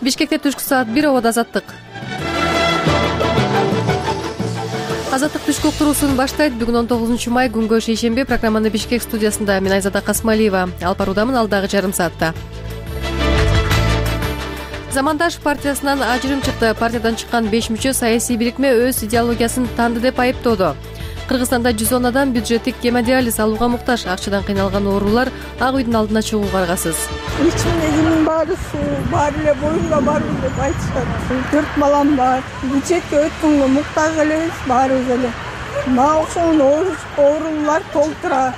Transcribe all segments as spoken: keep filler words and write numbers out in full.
Бишкекте түшкү саат бир ободо азаттык. Азаттык түшкү уктуруусун баштайт. Бүгүн он тогузунчу май, күнгө шейшемби. Программаны Бишкек студиясында мен Айзада Касмалиева алып баруудамын алдагы жарым саатта. Замандаш партиясынан ажырым чыкты. Партиядан чыккан беш мүчө саясий бирикме өз идеологиясын танды деп айыптоодо. Кыргызстанда жүз он адам бюджеттик гемодиализ алууга муктаж. Акчадан кыйналган оорулар Ак үйдүн алдына чыгууга аргасыз. Ичимдегинин баары суу, баары эле боюнга барбыз деп айтышат. Төрт балам бар. Бюджетке өткөнгө муктаж элебиз баарыбыз эле. Мага окшогон оорулар толтура.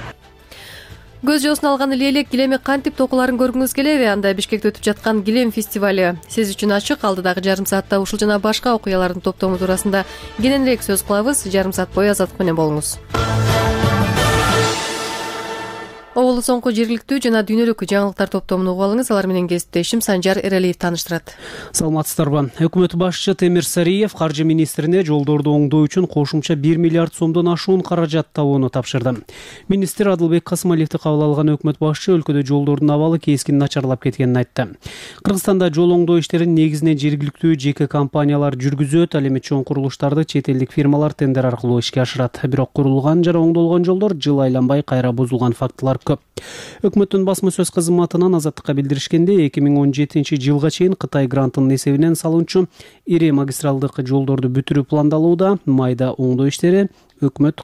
Көз жоосун алган элек килеми кантип токуларын көргүңүз келеби? Анда Бишкекте өтүп жаткан килем фестивале сиз үчүн ачык. Алдыдагы жарым саатта ушул жана башка окуялардын топтому туурасында кененирээк сөз кылабыз. Жарым саат бою Азаттык менен болуңуз. Оболу соңку жергиликтүү жана дүйнөлүк жаңылыктар топтомун угуп алыңыз. Алар менен кесиптешим Санжар Эралиев тааныштырат. Саламатсыздарбы? Өкмөт башчысы Темир Сариев каржы министрине жолдорду оңдоо үчүн кошумча бир миллиард сомдон ашуун каражат табууну тапшырды. Министр Адылбек Касмалиевди кабыл алган өкмөт башчы өлкөдө жолдордун абалы кескин начарлап кеткенин айтты. Кыргызстанда жол оңдоо иштерин негизинен жергиликтүү жеке компаниялар жүргүзөт. Ал эми чоң курулуштарды чет элдик фирмалар тендер аркылуу ишке ашырат. Бирок курулган жана оңдолгон жолдор жыл айланбай кайра бузулган фактылар көп. Өкмөттүн басма сөз кызматынан Азаттыкка билдиришкенде эки миң он жетинчи жылга чейин Кытай грантынын эсебинен салынчу ири магистралдык жолдорду бүтүрүү пландалууда. Майда оңдоо иштери өкмөт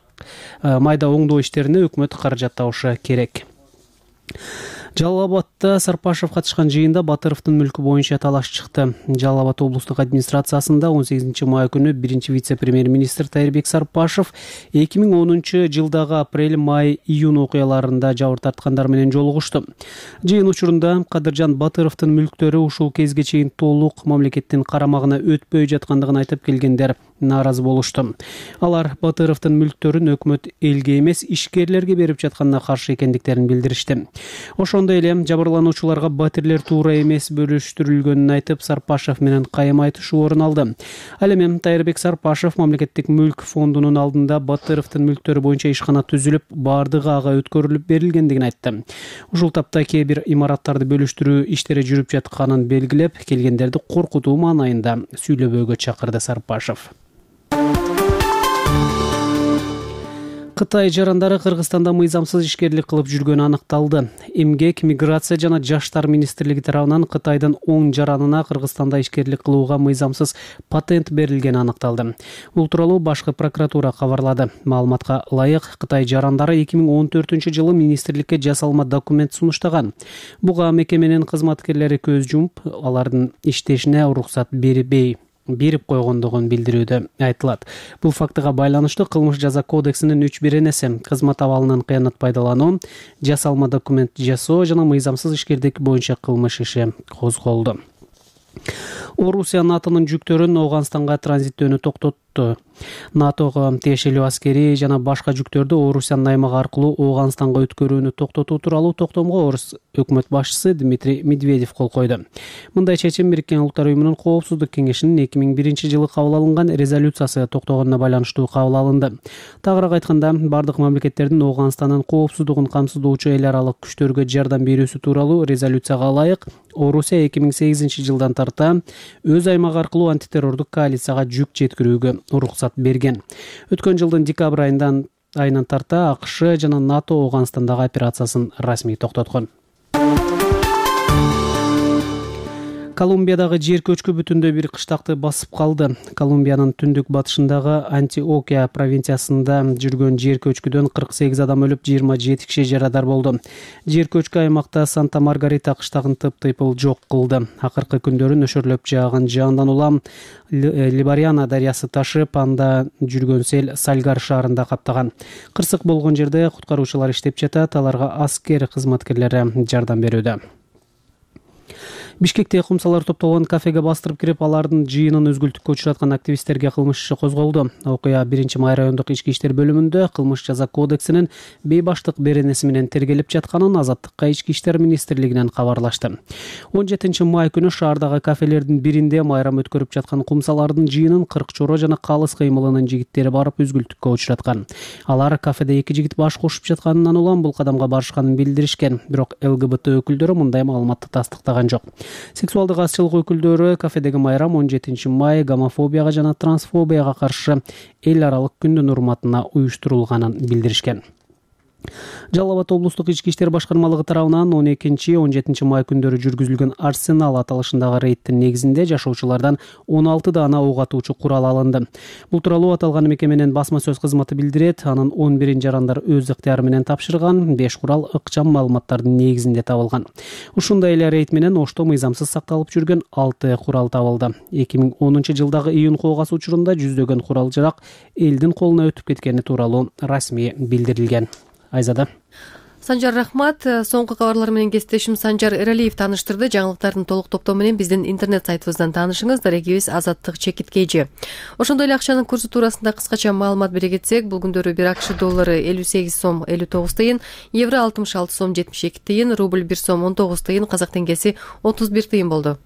майда оңдоо иштерине өкмөт каражат табышы керек. Жалал Абадта Сарпашев катышкан жыйында Батыровдун мүлкү боюнча талаш чыкты. Жалал Абад облустук администрациясында он сегизинчи май күнү биринчи вице-премьер-министр Тайырбек Сарпашев эки миң онунчу жылдагы апрель, май, июнь окуяларында жабыр тарткандар менен жолугушту. Жыйын учурунда Кадыржан Батыровдун мүлктөрү ушул кезге чейин толук мамлекеттин карамагына өтпөй жаткандыгын айтып келгендер нааразы болушту. Алар Батыровдун мүлктөрүн өкмөт элге эмес ишкерлерге берип жатканына каршы экендиктерин билдиришти. Ошондой эле жабырлануучуларга батирлер туура эмес бөлүштүрүлгөнүн айтып, Сарпашев менен кайым айтышуу орун алды. Ал эми Тайырбек Сарпашев мамлекеттик мүлк фондунун алдында Батыровдун мүлктөрү боюнча ишкана түзүлүп, бардыгы ага өткөрүлүп берилгендигин айтты. Ушул тапта кээ бир имараттарды бөлүштүрүү иштери жүрүп жатканын белгилеп, келгендерди коркутуу маанайында сүйлөбөөгө чакырды Сарпашев. Кытай жарандары Кыргызстанда мыйзамсыз ишкерлик кылып жүргөнү аныкталды. Эмгек, миграция жана жаштар министрлиги тарабынан Кытайдын он жаранына Кыргызстанда ишкерлик кылууга мыйзамсыз патент берилгени аныкталды. Бул тууралуу башкы прокуратура кабарлады. Маалыматка ылайык, Кытай жарандары эки миң он төртүнчү жылы министрликке жасалма документ сунуштаган. Буга мекеменин кызматкерлери көз жумуп, алардын иштешине уруксат бербей берип койгондугун билдирүүдө айтылат. Бул фактыга байланыштуу кылмыш жаза кодексинин үч беренеси кызмат абалынан кыянат пайдалануу, жасалма документ жасоо жана мыйзамсыз ишкерлик боюнча кылмыш иши козголду. Орусия НАТОнун жүктөрүн Ооганстанга транзиттөөнү токтотту. НАТОго тиешелүү аскери жана башка жүктөрдү Орусиянын аймагы аркылуу Ооганстанга өткөрүүнү токтотуу тууралуу токтомго орус өкмөт башчысы Дмитрий Медведев кол койду. Мындай чечим Бириккен Улуттар уюмунун Коопсуздук кеңешинин эки миң биринчи жылы кабыл алынган резолюциясы токтогонуна байланыштуу кабыл алынды. Тагыраак айтканда, бардык мамлекеттердин Ооганстандын коопсуздугун камсыздоочу эл аралык күчтөргө жардам берүүсү тууралуу резолюцияга ылайык, Орусия эки миң сегизинчи жылдан тарта өз аймагы аркылуу антитеррордук коалицияга жүк жеткирүүгө уруксат берген. Өткөн жылдын декабрь айынан айынан тарта АКШ жана НАТО Ооганстандагы операциясын расмий токтоткон. Колумбиядагы жер көчкү бүтүндөй бир кыштакты басып калды. Колумбиянын түндүк батышындагы Антиокия провинциясында жүргөн жер көчкүдөн кырк сегиз адам өлүп, жыйырма жети киши жарадар болду. Жер көчкү аймакта Санта-Маргарита кыштагын тып-тыйпыл жок кылды. Акыркы күндөрү нөшөрлөп жааган жаандан улам Либариана дарыясы ташып, анда жүргөн сел Сальгар шаарында каптаган. Кырсык болгон жерде куткаруучулар иштеп жатат, аларга аскер кызматкерлери жардам берүүдө. Бишкекте кумсалар топтолгон кафеге бастырып кирип, алардын жыйынын өзгүлтүккө учураткан активисттерге кылмыш иши козголду. Окуя биринчи май райондук ички иштер бөлүмүндө кылмыш жаза кодексинин бейбаштык беренеси менен тергелип жатканын Азаттыкка ички иштер министрлигинен кабарлашты. он жетинчи май күнү шаардагы кафелердин биринде майрам өткөрүп жаткан кумсалардын жыйынын кырк чоро жана калыс кыймылынын жигиттери барып өзгүлтүккө учураткан. Алар кафеде эки жигит баш кошуп жатканынан улам бул кадамга барышканын билдиришкен, бирок эл гэ бэ тэ өкүлдөрү мындай маалыматты тастыктаган жок. Сексуалдык азчылык өкүлдөрү кафедеги майрам он жетинчи май гомофобияга жана трансфобияга каршы эл аралык күндүн урматына уюштурулганын билдиришкен. Жалал Абад облустук ички иштер башкармалыгы тарабынан он экинчи он жетинчи май күндөрү жүргүзүлгөн Арсенал аталышындагы рейдтин негизинде жашоочулардан он алты даана ок атуучу курал алынды. Бул тууралуу аталган мекеменин басма сөз кызматы билдирет. Анын он бирин жарандар өз ыктыяры менен тапшырган. беш курал ыкчам маалыматтардын негизинде табылган. Ушундай эле рейд менен Ошто мыйзамсыз сакталып жүргөн алты курал табылды. эки миң онунчу жылдагы июнь коогасы учурунда жүздөгөн курал жарак элдин колуна өтүп кеткени тууралуу расмий билдирилген. Айзада. Санжар, рахмат. Соңку кабарлар менен кесиптешим Санжар Эралиев тааныштырды. Жаңылыктардын толук топтому менен биздин интернет сайтыбыздан таанышыңыз. Дарегибиз Азаттык Чекиткейжи. Ошондой эле акчанын курсу туурасында кыскача маалымат бере кетсек, бул күндөрү бир АКШ доллары элүү сегиз сом элүү тогуз тыйын, евро алтымыш алты сом жетимиш эки тыйын, рубль бир сом он тогуз тыйын, казак теңгеси отуз бир тыйын болду.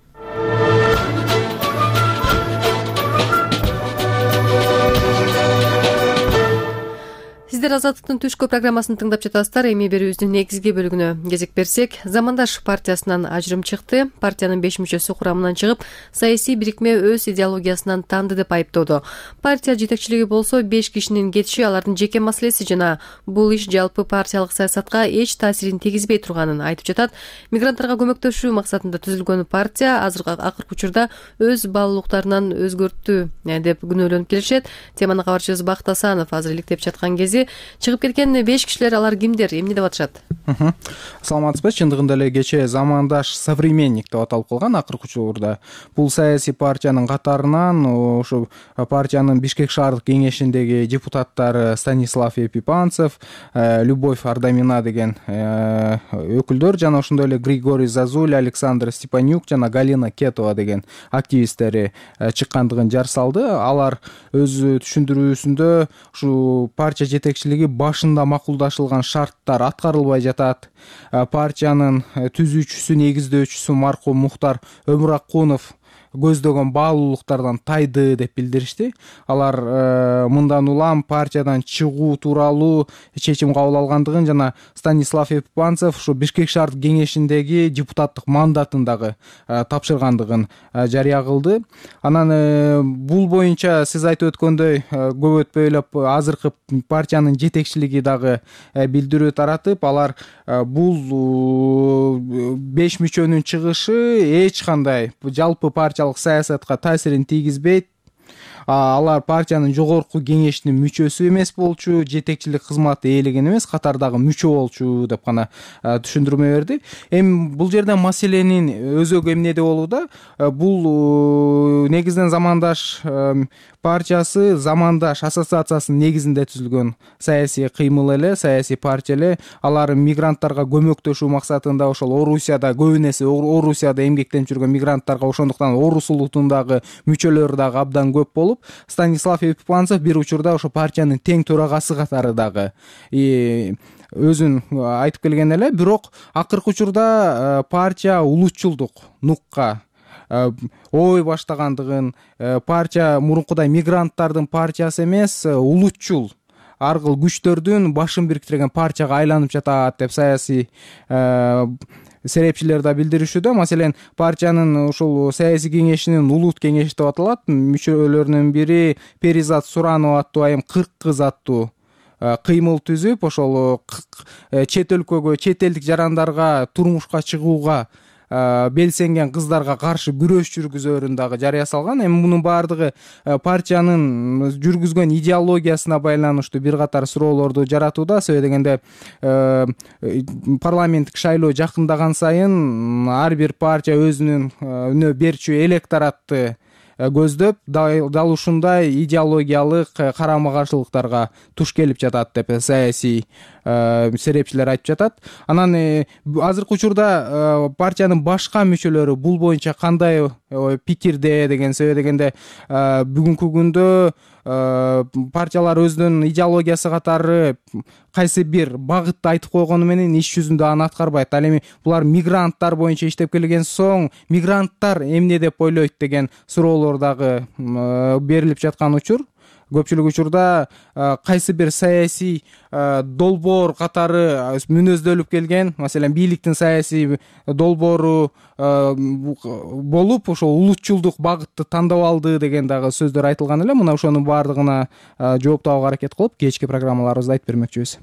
Сиздер Азаттыктын түшкү программасын тыңдап жатасыздар. Эми берүүбүздүн негизги бөлүгүнө кезек берсек, Замандаш партиясынан ажырым чыкты. Партиянын беш мүчөсү курамынан чыгып, саясий бирикме өз идеологиясынан танды деп айыптоодо. Партия жетекчилиги болсо беш кишинин кетиши алардын жеке маселеси жана бул иш жалпы партиялык саясатка эч таасирин тийгизбей турганын айтып жатат. Мигранттарга көмөктөшүү максатында түзүлгөн партия азыркы акыркы учурда өз баалуулуктарынан өзгөрттү деп күнөөлөнүп келишет. Теманы кабарчыбыз Бакыт Асанов азыр иликтеп жаткан кези чыгып кеткен беш кишилер, алар кимдер, эмне деп атышат? Саламатсызбы? Чындыгында эле кечээ Замандаш современник деп аталып калган акыркы учурда. Бул саясий партиянын катарынан ошо партиянын Бишкек шаардык кеңешиндеги депутаттары Станислав Епипанцев, Любовь Ардамина деген өкүлдөр жана ошондой эле Григорий Зазуль, Александр Степанюк жана Галина Кетова деген активисттери чыккандыгын жар салды. Алар өз түшүндүрүүсүндө ушу партия жетекчилиги башында макулдашылган шарттар аткарылбай жатат. Партиянын түзүүчүсү, негиздөөчүсү маркум Мухтар Өмүракунов көздөгөн баалуулуктардан тайды деп билдиришти. Алар э, мындан улам партиядан чыгуу тууралуу чечим кабыл алгандыгын жана Станислав Епипанцев ушу Бишкек шаардык кеңешиндеги депутаттык мандатын дагы э, тапшыргандыгын э, жарыя кылды. Анан э, бул боюнча сиз айтып өткөндөй э, көп өтпөй эле азыркы партиянын жетекчилиги дагы э, билдирүү таратып, алар э, бул беш э, мүчөнүн чыгышы эч кандай жалпы партия саясатка таасирин тийгизбейт. Алар партиянын жогорку кеңешинин мүчөсү эмес болчу, жетекчилик кызматы ээлеген эмес, катардагы мүчө болчу деп гана түшүндүрмө берди. Эми бул жерде маселенин өзөгү эмнеде болууда? Бул негизинен Замандаш партиясы Замандаш ассоциациясынын негизинде түзүлгөн саясий кыймыл эле, саясий партия эле. Алар мигранттарга көмөктөшүү максатында ошол Орусияда көбүн эсе Орусияда эмгектенип жүргөн мигранттарга, ошондуктан Орус улутундагы мүчөлөрү дагы абдан көп болуп, Станислав Епипанцев бир учурда ошо партиянын тең төрагасы катары дагы өзүн айтып келген эле. Бирок акыркы учурда партия улутчулдук нукка ой баштагандыгын, партия мурункудай мигранттардын партиясы эмес, улутчул ар кыл күчтөрдүн башын бириктирген партияга айланып жатат деп саясий серепчилер да билдиришүүдө. Маселен, партиянын ушул саясий кеңешинин улут кеңеши деп аталат. Мүчөлөрүнүн бири Перизат Суранова аттуу айым кырк кыз аттуу кыймыл түзүп, ошол чет өлкөгө, чет элдик жарандарга турмушка чыгууга белсенген кыздарга каршы күрөш жүргүзөөрүн дагы жарыя салган. Эми мунун баардыгы партиянын жүргүзгөн идеологиясына байланыштуу бир катар суроолорду жаратууда. Себеби дегенде парламенттик шайлоо жакындаган сайын ар бир партия өзүнүн берчү электоратты көздөп, дал ушундай идеологиялык карама каршылыктарга туш келип жатат деп саясий серепчилер айтып жатат. Анан азыркы учурда партиянын башка мүчөлөрү бул боюнча кандай пикирде деген, себеби дегенде бүгүнкү күндө партиялар өзүнүн идеологиясы катары кайсы бир багытты айтып койгону менен иш жүзүндө аны аткарбайт. Ал эми булар мигранттар боюнча иштеп келген соң мигранттар эмне деп ойлойт деген суроолор дагы берилип жаткан учур. көпчүлүк учурда кайсы бир саясий долбоор катары мүнөздөлүп келген, маселен бийликтин саясий долбоору болуп ошол улутчулдук багытты тандап алды деген дагы сөздөр айтылган эле. Мына ошонун баардыгына жооп табууга аракет кылып кечки программаларыбызда айтып бермекчибиз.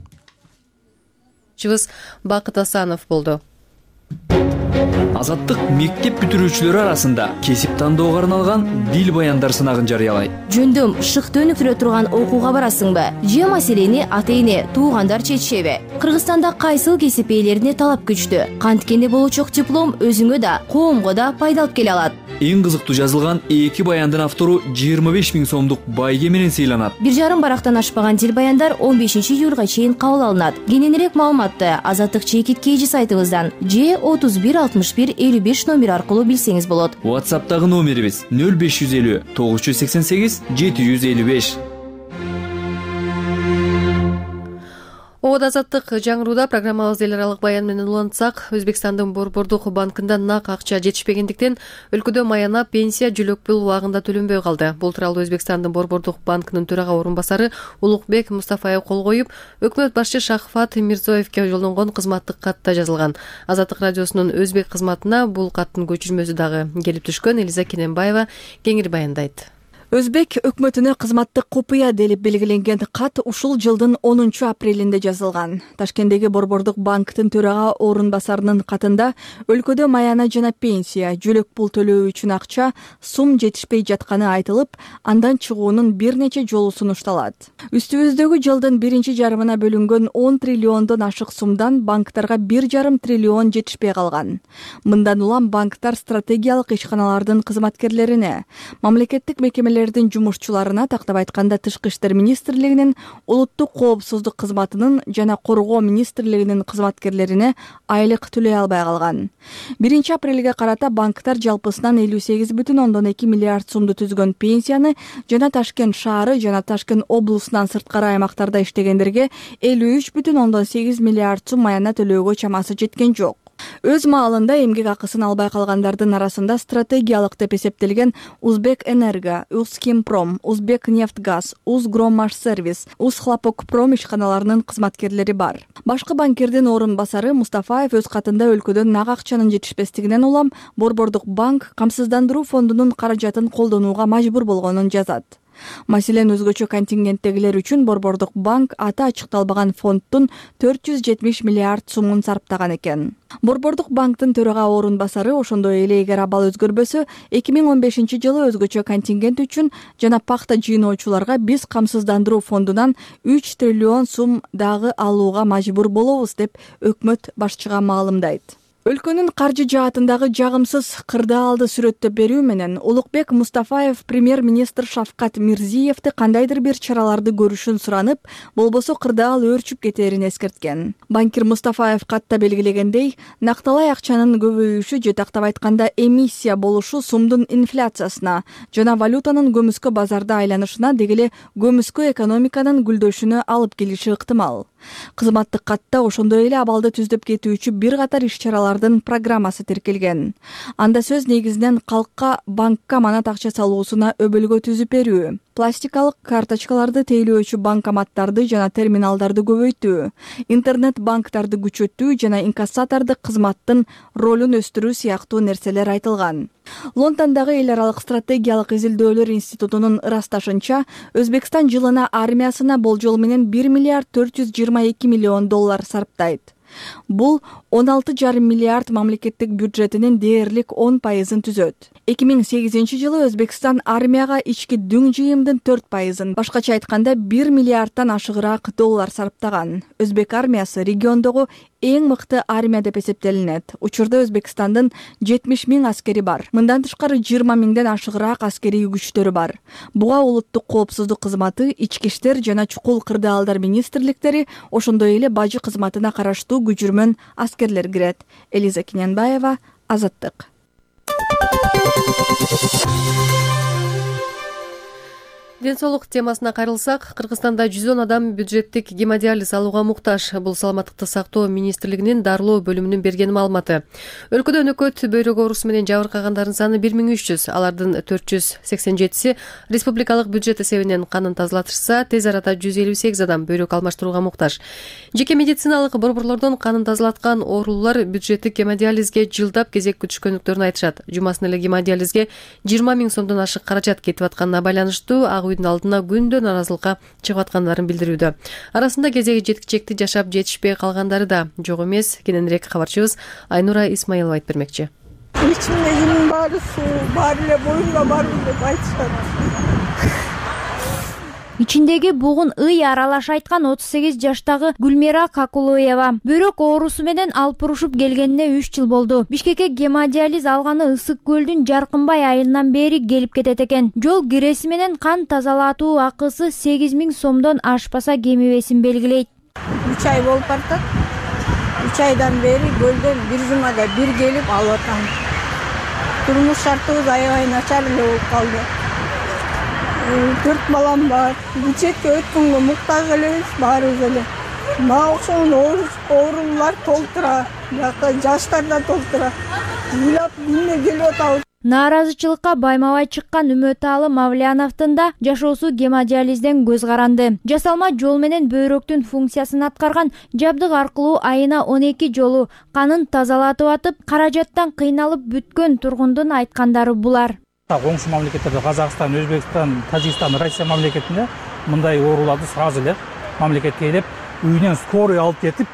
Чыбыз Бакыт Асанов болду. Азаттык мектеп бүтүрүүчүлөрү арасында кесип тандоого арналган дил баяндар сынагын жарыялайт. Жөндөм шыкты өнүктүрө турган окууга барасыңбы? Же маселени ата-эне, туугандар чечишеби? Кыргызстанда кайсыл кесип ээлерине талап күчтүү? Канткенде болочок диплом өзүңө да, коомго да пайда алып келе алат. Эң кызыктуу жазылган эки баяндын автору жыйырма беш миң сомдук байге менен сыйланат. Бир жарым барактан ашпаган дил баяндар он бешинчи июлга чейин кабыл алынат. Кененирээк маалыматты Азаттык чекит кейжи сайтыбыздан же отуз бир алтымыш бир элүү беш номер аркылуу билсеңиз болот. WhatsApp'тагы номерибиз нөл беш жүз элүү тогуз жүз сексен сегиз жети жүз элүү беш. Обод Азаттык жаңырууда программабызды эл аралык баян менен улантсак, Өзбекстандын Борбордук банкында нак акча жетишпегендиктен өлкөдө маяна пенсия жүлөк пул убагында төлөнбөй калды. Бул тууралуу Өзбекстандын Борбордук банкынын төрага орун басары Улукбек Мустафаев кол коюп, өкмөт башчы Шахфат Мирзоевке жолдонгон кызматтык катта жазылган. Азаттык радиосунун өзбек кызматына бул каттын көчүрмөсү дагы келип түшкөн. Элиза Кененбаева кеңири баяндайт. Өзбек өкмөтүнө кызматтык купуя делип белгиленген кат ушул жылдын онунчу апрелинде жазылган. Ташкенттеги Борбордук банктын төрага орун басарынын катында өлкөдө маяна жана пенсия, жүлөк пул төлөө үчүн акча сум жетишпей жатканы айтылып, андан чыгуунун бир нече жолу сунушталат. Үстүбүздөгү жылдын биринчи жарымына бөлүнгөн он триллиондон ашык сумдан банктарга бир жарым триллион жетишпей калган. Мындан улам банктар стратегиялык ишканалардын кызматкерлерине, мамлекеттик мекемелердин жумушчуларына, тактап айтканда Тышкы иштер министрлигинин, улуттук коопсуздук кызматынын жана коргоо министрлигинин кызматкерлерине айлык төлөй албай калган. биринчи апрелге карата банктар жалпысынан элүү сегиз бүтүн ондон эки миллиард сумду түзгөн пенсияны жана Ташкент шаары жана Ташкент облусунан сырткары аймактарда иштегендерге элүү үч бүтүн ондон сегиз миллиард сум маяна төлөөгө чамасы жеткен жок. Өз маалында эмгек акысын албай калгандардын арасында стратегиялык деп эсептелген Узбек Энерго, Узкимпром, Узбек Нефтгаз, Узгроммашсервис, Узхлопокпром ишканаларынын кызматкерлери бар. Башкы банкирдин орун басары Мустафаев өз катында өлкөдө нак акчанын жетишпестигинен улам Борбордук банк камсыздандыруу фондунун каражатын колдонууга мажбур болгонун жазат. Маселен, өзгөчө контингенттегилер үчүн Борбордук банк аты ачыкталбаган фондтун төрт жүз жетимиш миллиард сумун сарптаган экен. Борбордук банктын төрага орун басары ошондой эле эгер абал өзгөрбөсө, эки миң он бешинчи жылы өзгөчө контингент үчүн жана пакта жыйноочуларга биз камсыздандыруу фондунан үч триллион сум дагы алууга мажбур болобуз деп өкмөт башчыга маалымдайт. Өлкөнүн каржы жаатындагы жагымсыз кырдаалды сүрөттөп берүү менен Улукбек Мустафаев премьер-министр Шавкат Мирзиевди кандайдыр бир чараларды көрүшүн суранып, болбосо кырдаал өөрчүп кетерин эскерткен. Банкир Мустафаев катта белгилегендей, накталай акчанын көбөйүшү же тактап айтканда эмиссия болушу сумдун инфляциясына жана валютанын көмүскө базарда айланышына, дегеле көмүскө экономиканын гүлдөшүнө алып келиши ыктымал. Кызматтык катта ошондой эле абалды түздөп кетүүчү бир катар иш-чаралардын программасы тиркелген. Анда сөз негизинен калкка банкка манат акча салуусуна өбөлгө түзүп берүү, пластикалык карточкаларды тейлөөчү банкоматтарды жана терминалдарды көбөйтүү, интернет банктарды күчөтүү жана инкассатордук кызматтын ролун өстүрүү сыяктуу нерселер айтылган. Лондондогу эл аралык стратегиялык изилдөөлөр институтунун ырасташынча, Өзбекстан жылына армиясына болжол менен бир миллиард төрт жүз жыйырма эки миллион доллар сарптайт. Бул он алты жарым миллиард мамлекеттик бюджетинин дээрлик он пайызын түзөт. эки миң сегизинчи жылы Өзбекстан армияга ички дүң жыйымдын төрт пайызын, башкача айтканда бир миллиардтан ашыгыраак доллар сарптаган. Өзбек армиясы региондогу эң мыкты армия деп эсептелинет. Учурда Өзбекстандын жетимиш миң аскери бар. Мындан тышкары жыйырма миңден ашыгыраак аскерий күчтөрү бар. Буга улуттук коопсуздук кызматы, ички иштер жана чукул кырдаалдар министрликтери, ошондой эле бажы кызматына караштуу күчүрмөн аскерлер кирет. Элиза Кененбаева, Азаттык. Ден соолук темасына кайрылсак, Кыргызстанда жүз он адам бюджеттик гемодиализ алууга муктаж. Бул саламаттыкты сактоо министрлигинин дарылоо бөлүмүнүн берген маалыматы. Өлкөдө өнөкөт бөйрөк оорусу менен жабыркагандардын саны бир миң үч жүз, алардын төрт жүз сексен жетиси республикалык бюджет эсебинен канын тазалатышса, тез арада жүз элүү сегиз адам бөйрөк алмаштырууга муктаж. Жеке медициналык борборлордон канын тазалаткан оорулуулар бюджеттик гемодиализге жылдап кезек күтүшкөндүктөрүн айтышат. Жумасын эле гемодиализге жыйырма миң сомдон ашык каражат кетип атканына байланыштуу ак үйдүн алдына күндө наразылыкка чыгып аткандарын билдирүүдө. Арасында кезеги жеткичекти жашап жетишпей калгандары да жок эмес. Кененирээк кабарчыбыз Айнура Исмаилова айтып бермекчи. Ичимдегинин баары суу, баары эле боюнга барбы деп айтышат. Ичиндеги бугун ый аралаш айткан отуз сегиз жаштагы Гүлмира Какулоева бөйрөк оорусу менен алпурушуп келгенине үч жыл болду. Бишкекке гемодиализ алганы Ысык көлдүн Жаркынбай айылынан бери келип кетет экен. Жол киреси менен кан тазалатуу акысы сегиз миң сомдон ашпаса кемибесин белгилейт. үч ай болуп баратат. үч айдан бери көлдөн бир жумада бир келип алып атам. Турмуш шартыбыз аябай начар эле болуп калды. Төрт балам бар. Бюджетке өткөнгө муктаж элебиз баарыбыз эле. Мага окшогон оорулуулар толтура, жакта жаштар да толтура. Ыйлап күнүнө келип атабыз. Нааразычылыкка байма-бай чыккан Үмөталы Мавляновдун да жашоосу гемодиализден көз каранды. Жасалма жол менен бөйрөктүн функциясын аткарган жабдык аркылуу айына он эки жолу канын тазалатып атып, каражаттан кыйналып бүткөн тургундун айткандары булар. Коңшу мамлекеттерде Казакстан, Өзбекстан, Тажикстан, Россия мамлекетинде мындай ооруларды сразу эле мамлекетке келип, үйүнөн скорый алып кетип,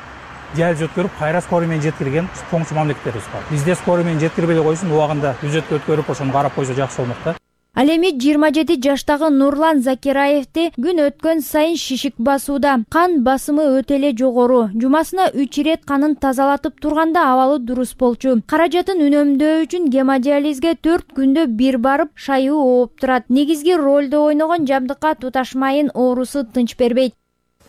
диализ өткөрүп, кайра скорый менен жеткирген коңшу мамлекеттерибиз бар. Бизде скорый менен жеткирбей койсун, убагында бюджетке өткөрүп, ошону карап койсо жакшы болмок да. Ал эми жыйырма жети жаштагы Нурлан Закираевди күн өткөн сайын шишик басууда. Кан басымы өтө эле жогору. Жумасына үч ирет канын тазалатып турганда абалы дурус болчу. Каражатын үнөмдөө үчүн гемодиализге төрт күндө бир барып, шайуу ооп турат. Негизги ролду ойногон жабдыкка туташмайын оорусу тынч бербейт.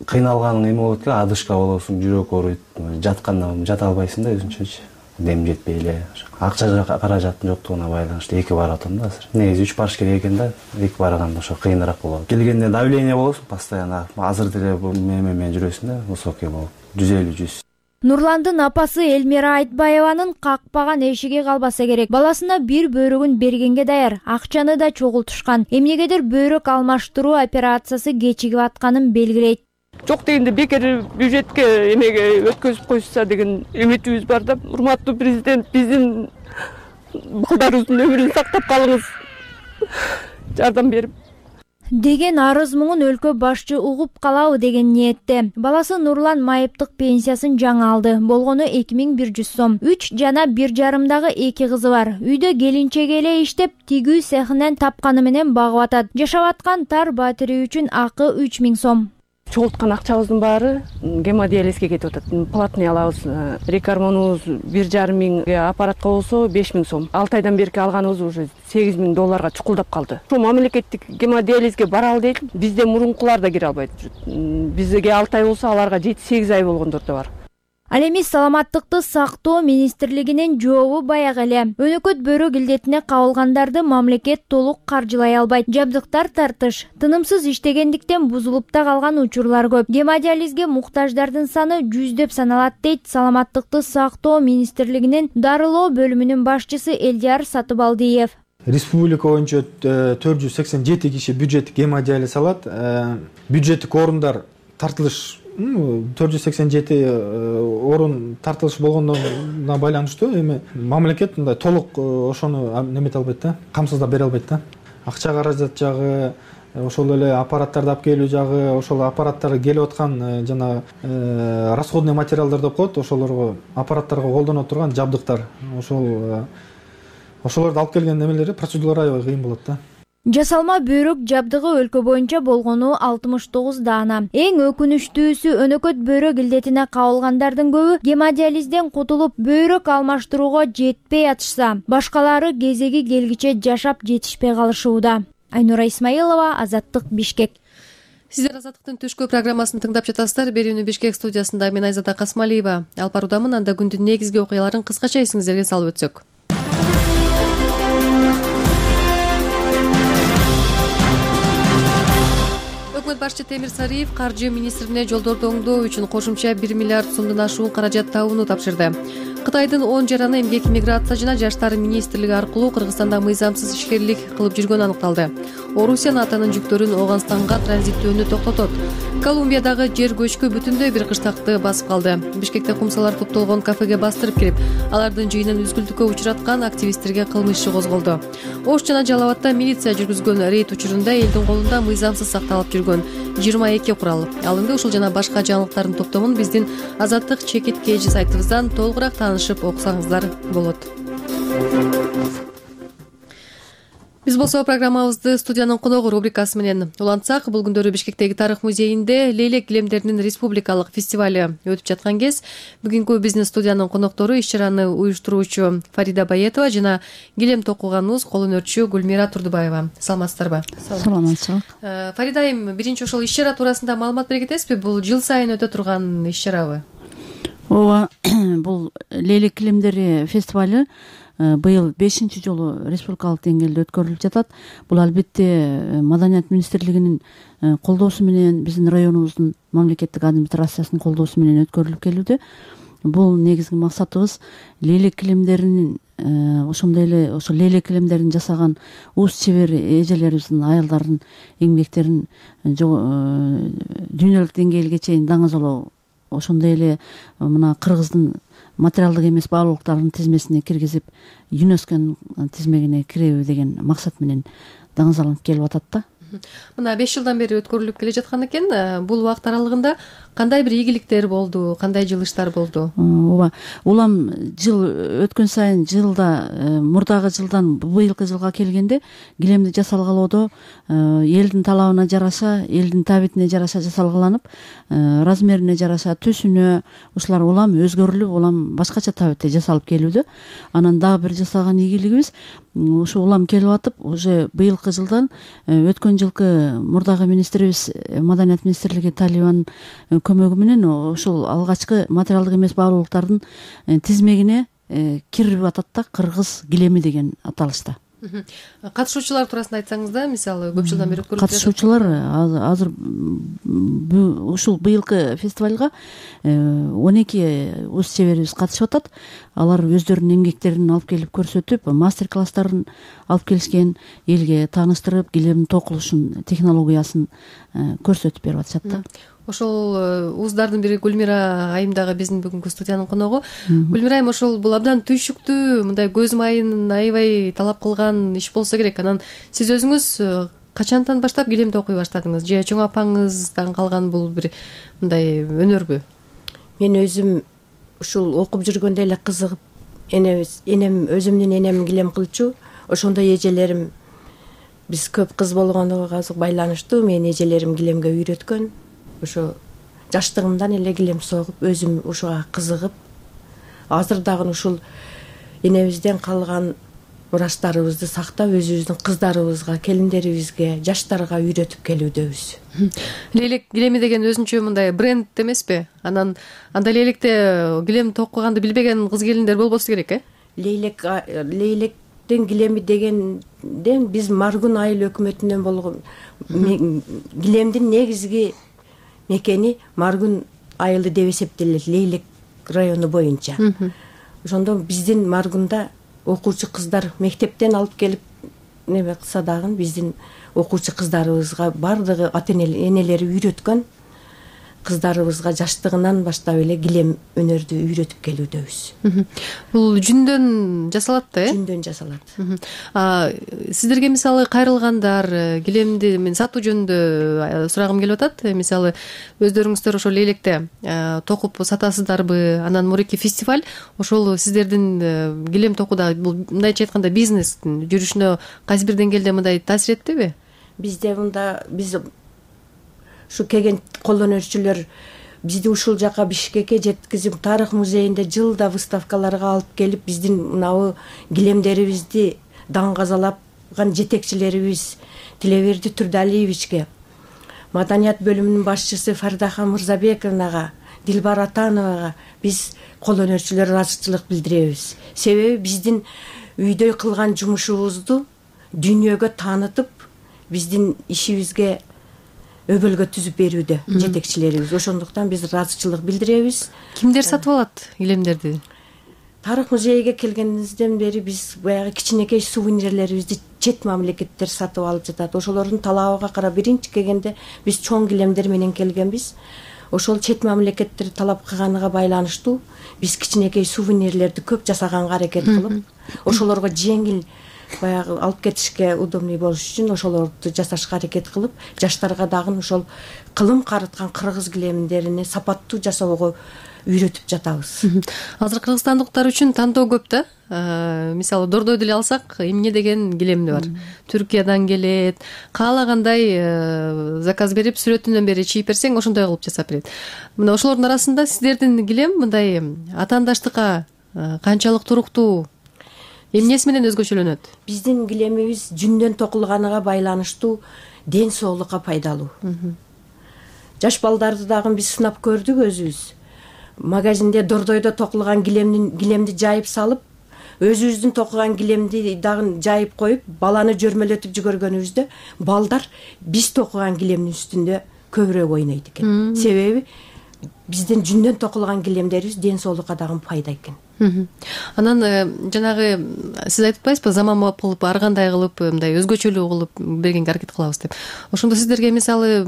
Кыйналганың эме болот эле, адышка болосуң, жүрөк ооруйт. Жатканда жата албайсың да өзүнчөчү. Дем жетпей эле. Акча каражаттын жоктугуна байланыштуу эки барып атам да азыр. Негизи үч барыш керек экен да, эки барганда ошо кыйыныраак болот. Келгенде давление болосуң постоянно. Азыр деле эме менен жүрөсүң да, высокий болуп. жүз элүү жүз. Нурландын апасы Элмира Айтбаеванын какпаган эшиги калбаса керек. Баласына бир бөйрөгүн бергенге даяр, акчаны да чогултушкан. Эмнегедир бөйрөк алмаштыруу операциясы кечигип атканын белгилейт. Жок дегенде бекер бюджетке эмеге өткөзүп койсо деген үмүтүбүз бар да. Урматтуу президент, биздин балдарыбыздын өмүрүн сактап калыңыз. Жардам берип деген арыз муңун өлкө башчы угуп калабы деген ниетте. Баласы Нурлан майыптык пенсиясын жаңы алды. Болгону эки миң бир жүз сом. үч жана бир жарымдагы эки кызы бар. Үйдө келинчеги эле иштеп, тигүү цехинен тапканы менен багып атат. Жашап аткан тар батири үчүн акы үч миң сом. Чогулткан акчабыздын баары гемодиализге кетип атат. Платный алабыз. Рекормонубуз бир жарым миңге, аппаратка болсо беш миң сом. алты айдан берки алганыбыз уже сегиз миң долларга чукулдап калды. Ошо мамлекеттик гемодиализге баралы дейт. Бизде мурункулар да кире албайт. Бизге алты ай болсо, аларга жети сегиз ай болгондор да бар. Ал эми саламаттыкты сактоо министрлигинин жообу баягы эле. Өнөкөт бөйрөк илдетине кабылгандарды мамлекет толук каржылай албайт. Жабдыктар тартыш. Тынымсыз иштегендиктен бузулуп да калган учурлар көп. Гемодиализге муктаждардын саны жүздөп саналат дейт саламаттыкты сактоо министрлигинин дарылоо бөлүмүнүн башчысы Элдияр Сатыбалдиев. Республика боюнча төрт жүз сексен жети киши бюджеттик гемодиализ алат. Бюджеттик орундар тартылыш төрт жүз сексен жети орун тартылыш болгондуна байланыштуу эми мамлекет мындай толук ошону немете албайт да, камсыздап бере албайт да. Акча каражат жагы, ошол эле аппараттарды алып келүү жагы, ошол аппараттар келип аткан жана расходный материалдар деп коет, ошолорго аппараттарга колдоно турган жабдыктар, ошол ошолорду алып келген немелери процедуралар аябай кыйын болот да. Жасалма бөйрөк жабдыгы өлкө боюнча болгону алтымыш тогуз даана. Эң өкүнүчтүүсү өнөкөт бөйрөк илдетине кабылгандардын көбү гемодиализден кутулуп бөйрөк алмаштырууга жетпей атышса, башкалары кезеги келгиче жашап жетишпей калышууда. Айнура Исмаилова, Азаттык, Бишкек. Сиздер Азаттыктын түшкү программасын тыңдап жатасыздар. Берүүнү Бишкек студиясында мен Айзада Касмалиева алып баруудамын. Анда күндүн негизги окуяларын кыскача эсиңиздерге салып өтсөк. Өкмөт башчы Темир Сариев каржы министрине жолдорду оңдоо үчүн кошумча бир миллиард сомдон ашуун каражат табууну тапшырды. Кытайдын он жараны эмгек, миграция жана жаштар министрлиги аркылуу Кыргызстанда мыйзамсыз ишкерлик кылып жүргөнү аныкталды. Орусия НАТОнун жүктөрүн Ооганстанга транзиттөөнү токтотот. Колумбиядагы жер көчкү бүтүндөй бир кыштакты басып калды. Бишкекте кумсалар топтолгон кафеге бастырып кирип, алардын жыйынын үзгүлтүккө учураткан активисттерге кылмыш иши козголду. Ош жана Жалал абадда милиция жүргүзгөн рейд учурунда элдин колунда мыйзамсыз сакталып жүргөн жыйырма эки курал алынды. Ушул жана башка жаңылыктардын топтомун биздин Азаттык чекит кж сайтыбыздан толугураак таанышып окусаңыздар болот. Биз болсо программабызды студиянын коногу рубрикасы менен улантсак, бул күндөрү Бишкектеги тарых музейинде Лейлек килемдеринин республикалык фестивалю өтүп жаткан кез. Бүгүнкү биздин студиянын коноктору иш чараны уюштуруучу Фарида Баетова жана килем токуганыбыз кол өнөрчү Гүлмира Турдубаева. Саламатсыздарбы? Саламатсызбы. Фарида айым, биринчи ошол иш чара туурасында маалымат бере кетесизби? Бул жыл сайын өтө турган иш чарабы? Ооба, бул Лейлек килемдери фестивалю быйыл бешинчи жолу республикалык деңгээлде өткөрүлүп жатат. Бул албетте Маданият министрлигинин колдоосу менен, биздин районубуздун мамлекеттик администрациясынын колдоосу менен өткөрүлүп келүүдө. Бул негизги максатыбыз лейлек килемдеринин ошондой эле ошо лейлек килемдерин жасаган уус чебер эжелерибиздин, аялдардын эмгектерин дүйнөлүк деңгээлге чейин даңазалоо, ошондой эле мына Кыргыздын материалдык эмес баалуулуктардын тизмесине киргизип, ЮНЕСКОнун тизмегине киребиз деген максат менен даңазаланып келип атат да. Мына беш жылдан бери өткөрүлүп келе жаткан экен. Бул убакыт аралыгында кандай бир ийгиликтер болду, кандай жылыштар болду? Ооба, улам жыл өткөн сайын жылда мурдагы жылдан быйылкы жылга келгенде килемди жасалгалоодо элдин талабына жараша, элдин табитине жараша жасалгаланып, размерине жараша, түсүнө ушулар улам өзгөрүлүп, улам башкача табитте жасалып келүүдө. Анан дагы бир жасаган ийгилигибиз ушу улам келип атып, уже быйылкы жылдан өткөн жылкы мурдагы министрибиз, Маданият министрлиги Талибанын көмөгү менен ушул алгачкы материалдык эмес баалуулуктардын тизмегине кирип атат да, кыргыз килеми деген аталышта. Катышуучулар туурасында айтсаңыз да, мисалы көп жылдан бери өткөрүлүп жатат. Катышуучулар азыр ушул быйылкы фестивалга он эки уус чеберибиз катышып атат. Алар өздөрүнүн эмгектерин алып келип көрсөтүп, мастер-класстарын алып келишкен, элге тааныштырып, килем токулушун технологиясын көрсөтүп берип атышат да. Ошол ууздардын бири Гүлмира айым дагы биздин бүгүнкү студиянын коногу. Гүлмира айым, ошол бул абдан түйшүктүү, мындай көз майын аябай талап кылган иш болсо керек. Анан сиз өзүңүз качантан баштап килемди окуй баштадыңыз? Же чоң апаңыздан калган бул бир мындай өнөрбү? Мен өзүм ушул окуп жүргөндө эле кызыгып, энебиз, энем өзүмдүн энем килем кылчу. Ошондой эжелерим, биз көп кыз болгондугу байланыштуу, менин эжелерим килемге үйрөткөн. Ошо жаштыгымдан эле килем согуп, өзүм ушуга кызыгып, азыр дагы ушул энебизден калган мурастарыбызды сактап, өзүбүздүн кыздарыбызга, келиндерибизге, жаштарга үйрөтүп келүүдөбүз. Лейлек килеми деген өзүнчө мындай бренд эмеспи? Анан анда лейлекте килем токуганды билбеген кыз келиндер болбосу керек, э? Лейлек лейлектин килеми дегенден биз Маргун айыл өкмөтүнөн болгон килемдин негизги мекени Маргун айылы деп эсептелет, Лейлек району боюнча. Ошондо биздин Маргунда окуучу кыздар мектептен алып келип неме кылса дагы биздин окуучу кыздарыбызга бардыгы ата-энелери үйрөткөн, кыздарыбызга жаштыгынан баштап эле килем өнөрдү үйрөтүп келүүдөбүз. Бул жүндөн жасалат да, э? Жүндөн жасалат. Сиздерге мисалы кайрылгандар, килемди мен сатуу жөнүндө сурагым келип атат. Мисалы өздөрүңүздөр ошол лейлекте токуп сатасыздарбы? Анан мурики фестиваль ошол сиздердин килем токууда бул мындайча айтканда бизнестин жүрүшүнө кайсы бир деңгээлде мындай таасир эттиби? Бизде мында биз ушу келген кол өнөрчүлөр бизди ушул жака Бишкекке жеткизип, тарых музейинде жылда выставкаларга алып келип, биздин мынабу килемдерибизди даңгазалаган жетекчилерибиз Тилеберди Турдалиевичке, Маданият бөлүмүнүн башчысы Фардахан Мырзабековнага, Дилбар Атановага биз кол өнөрчүлөр ыраазычылык билдиребиз. Себеби биздин үйдө кылган жумушубузду дүйнөгө таанытып, биздин ишибизге өбөлгө түзүп берүүдө жетекчилерибиз. Ошондуктан биз ыраазычылык билдиребиз. Кимдер сатып алат килемдерди? Тарых музейиге келгенибизден бери биз баягы кичинекей сувенирлерибизди чет мамлекеттер сатып алып жатат. Ошолордун талабыга карап биринчи келгенде биз чоң килемдер менен келгенбиз. Ошол чет мамлекеттер талап кылганыга байланыштуу биз кичинекей сувенирлерди көп жасаганга аракет кылып, ошолорго жеңил баягы алып кетишке удобный болуш үчүн ошолорду жасашка аракет кылып, жаштарга дагы ошол кылым карыткан кыргыз килемдерини сапаттуу жасоого үйрөтүп жатабыз. Азыр кыргызстандыктар үчүн тандоо көп да. Мисалы Дордой деле алсак, эмне деген килемди бар. Түркиядан келет. Каалагандай заказ берип, сүрөтүнөн бери чийип берсең, ошондой кылып жасап берет. Мына ошолордун арасында сиздердин килем мындай атаандаштыкка канчалык туруктуу, эмнеси менен өзгөчөлөнөт? Биздин килемибиз жүндөн токулганыга байланыштуу ден соолукка пайдалуу. Жаш балдарды дагы биз сынап көрдүк өзүбүз. Магазинде Дордойдо токулган килемдин килемди жайып салып, өзүбүздүн токуган килемди дагы жайып коюп, баланы жөрмөлөтүп жүгөргөнүбүздө балдар биз токуган килемдин үстүндө көбүрөөк ойнойт экен. Себеби биздин жүндөн токулган килемдерибиз ден соолукка дагы пайда экен. Анан жанагы сиз айтып атпайсызбы, заманбап кылып, ар кандай кылып, мындай өзгөчөлүү кылып бергенге аракет кылабыз деп. Ошондо сиздерге мисалы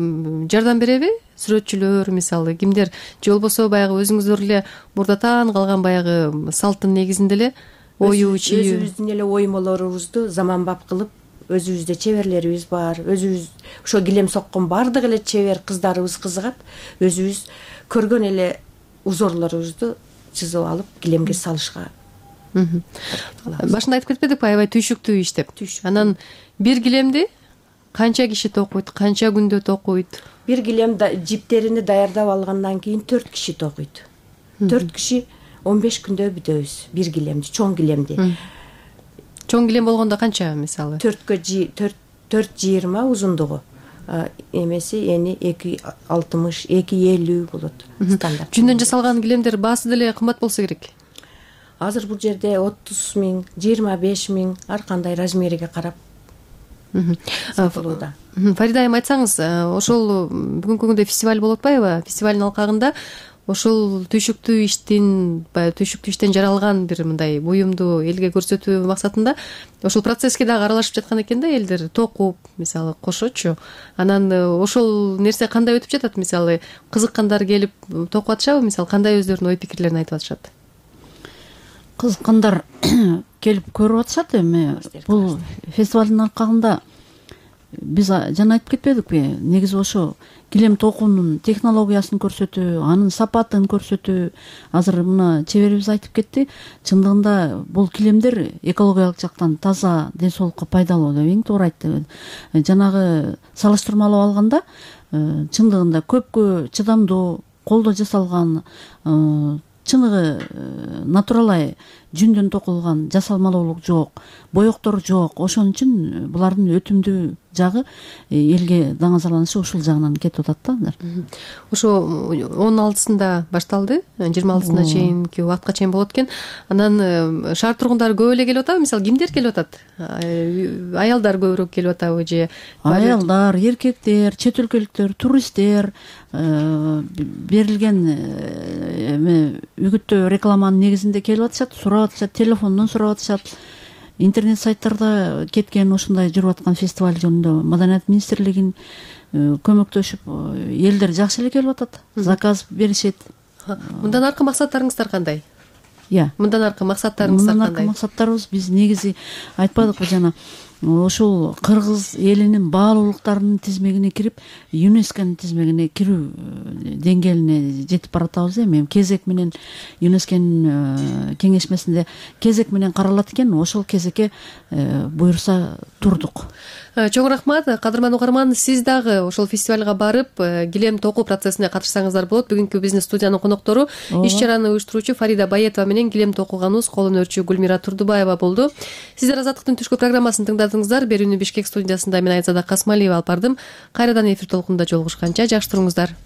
жардам береби? Сүрөтчүлөр мисалы кимдер же болбосо баягы өзүңүздөр эле мурдатан калган баягы салттын негизинде эле ою чийүү, өзүбүздүн эле оймолорубузду заманбап кылып, өзүбүздө чеберлерибиз бар. Өзүбүз ошо килем соккон бардык эле чебер кыздарыбыз кызыгат. Өзүбүз көргөн эле узорлорубузду чызып алып килемге салышка. Башында айтып кетпедикпи, аябай түйшүктүү иш деп. Анан бир килемди канча киши токуйт, канча күндө токуйт? Бир килем жиптерини даярдап алгандан кийин төрт киши токуйт. төрт киши он беш күндө бүтөбүз бир килемди, чоң килемди. Чоң килем болгондо канча мисалы? төрткө төрт жыйырма узундугу. Эмеси эни эки алтымыш, эки элүү болот. Стандарт. Жүндөн жасалган килемдер баасы деле кымбат болсо керек. Азыр бул жерде отуз миң, жыйырма беш миң ар кандай размериге карап сатылууда. Фарида айым, айтсаңыз, ошол бүгүнкү күндө фестиваль болуп атпайбы? Фестивалдын алкагында ошол түйшүктүү иштин, баягы түйшүктүү иштен жаралган бир мындай буюмду элге көрсөтүү максатында ошол процесске дагы аралашып жаткан экен да элдер, токуп, мисалы кошочу. Анан ошол нерсе кандай өтүп жатат? Мисалы кызыккандар келип токуп атышабы? Мисалы кандай өздөрүнүн ой пикирлерин айтып атышат? Кызыккандар келип көрүп атышат. Эми бул фестивалдын алкагында биз жана айтып кетпедикпи? Негизи ошо килем токуунун технологиясын көрсөтүү, анын сапатын көрсөтүү. Азыр мына чеберибиз айтып кетти. Чындыгында бул килемдер экологиялык жактан таза, ден соолукка пайдалуу деп эң туура айтты. Жанагы салыштырмалап алганда, чындыгында көпкө чыдамдуу, колдо жасалган, чыныгы натуралай жүндөн токулган жасалмалуулук жок, боектор жок. Ошон үчүн булардын өтүмдүү жагы элге даңазаланышы ушул жагынан кетип атат да. Ошо он алтысында башталды, жыйырма алтысына чейинки убакытка чейин болот экен. Анан шаар тургундары көп эле келип атабы? Мисалы кимдер келип атат? Аялдар көбүрөөк келип атабы же? Аялдар, эркектер, чет өлкөлүктөр, туристтер, берилген үгүттөө рекламанын негизинде келип атышат, сурап атышат, телефондон сурап атышат. Интернет сайттарда кеткен ушундай жүрүп аткан фестиваль жөнүндө Маданият министрлигин көмөктөшүп, элдер жакшы эле келип атат, заказ беришет. Мындан аркы максаттарыңыздар кандай? Иә. Мындан аркы максаттарыңыздар кандай? Мындан аркы максаттарыбыз биз негизи айтпадыкпы жана ошол кыргыз элинин баалуулуктарынын тизмегине кирип, ЮНЕСКОнун тизмегине кирүү деңгээлине жетип баратабыз. Эми кезек менен ЮНЕСКонун кеңешмесинде кезек менен каралат экен, ошол кезекке буюрса турдук. Чоң рахмат. Кадырман угарман, сиз дагы ошол фестивалга барып, килем токуу процессине катышсаңыздар болот. Бүгүнкү бизнес студиянын коноктору иш чараны уюштуруучу Фарида Баетова менен килем токуганыбыз кол өнөрчү Гүлмира Турдубаева болду. Сиздер Азаттыктын түшкү программасын тыңдадыңыздар. Берүүнү Бишкек студиясында мен Айзада Касмалиева алып бардым. Кайрадан эфир толкунунда жолугушканча жакшы туруңуздар.